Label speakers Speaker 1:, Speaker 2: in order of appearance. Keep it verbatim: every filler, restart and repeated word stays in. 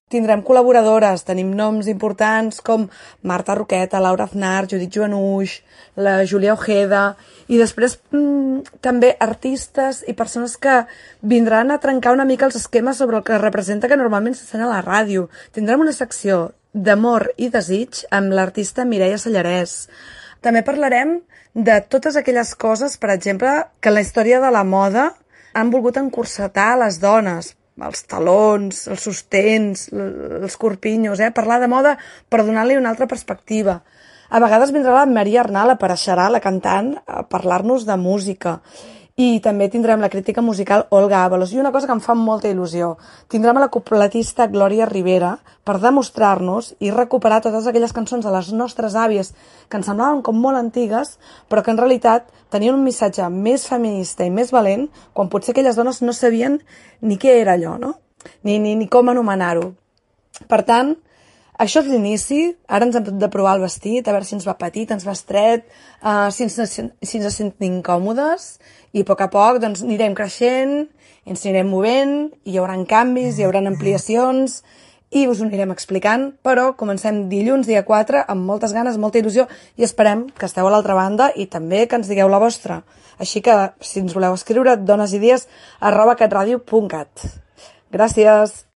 Speaker 1: Tindrem col·laboradores, tenim noms importants com Marta Roqueta, Laura Aznar, Judit Joanuix, la Júlia Ojeda, i després mmm, també artistes i persones que vindran a trencar una mica els esquemes sobre el que representa que normalment s'encén a la ràdio. Tindrem una secció d'amor i desig amb l'artista Mireia Sallarès. També parlarem de totes aquelles coses, per exemple, que en la història de la moda han volgut encursetar les dones, els talons, els sostens, els corpinyos, eh? Parlar de moda per donar-li una altra perspectiva. A vegades vindrà la Maria Arnal, apareixerà la cantant, a parlar-nos de música. I també tindrem la crítica musical Olga Ábalos. I una cosa que em fa molta il·lusió, tindrem a la cupletista Glòria Rivera per demostrar-nos i recuperar totes aquelles cançons de les nostres àvies que ens semblaven com molt antigues, però que en realitat tenien un missatge més feminista i més valent, quan potser aquelles dones no sabien ni què era allò, no? Ni, ni, ni com anomenar-ho. Per tant, això és l'inici. Ara ens hem de provar el vestit, a veure si ens va petit, ens va estret, uh, si, ens, si ens sentim còmodes, i a poc a poc doncs, anirem creixent, ens anirem movent, hi haurà canvis, hi haurà ampliacions, i us ho anirem explicant, però comencem dilluns, dia quatre, amb moltes ganes, molta il·lusió, i esperem que esteu a l'altra banda i també que ens digueu la vostra. Així que, si ens voleu escriure, donesidees arroba catradio punt cat. Gràcies!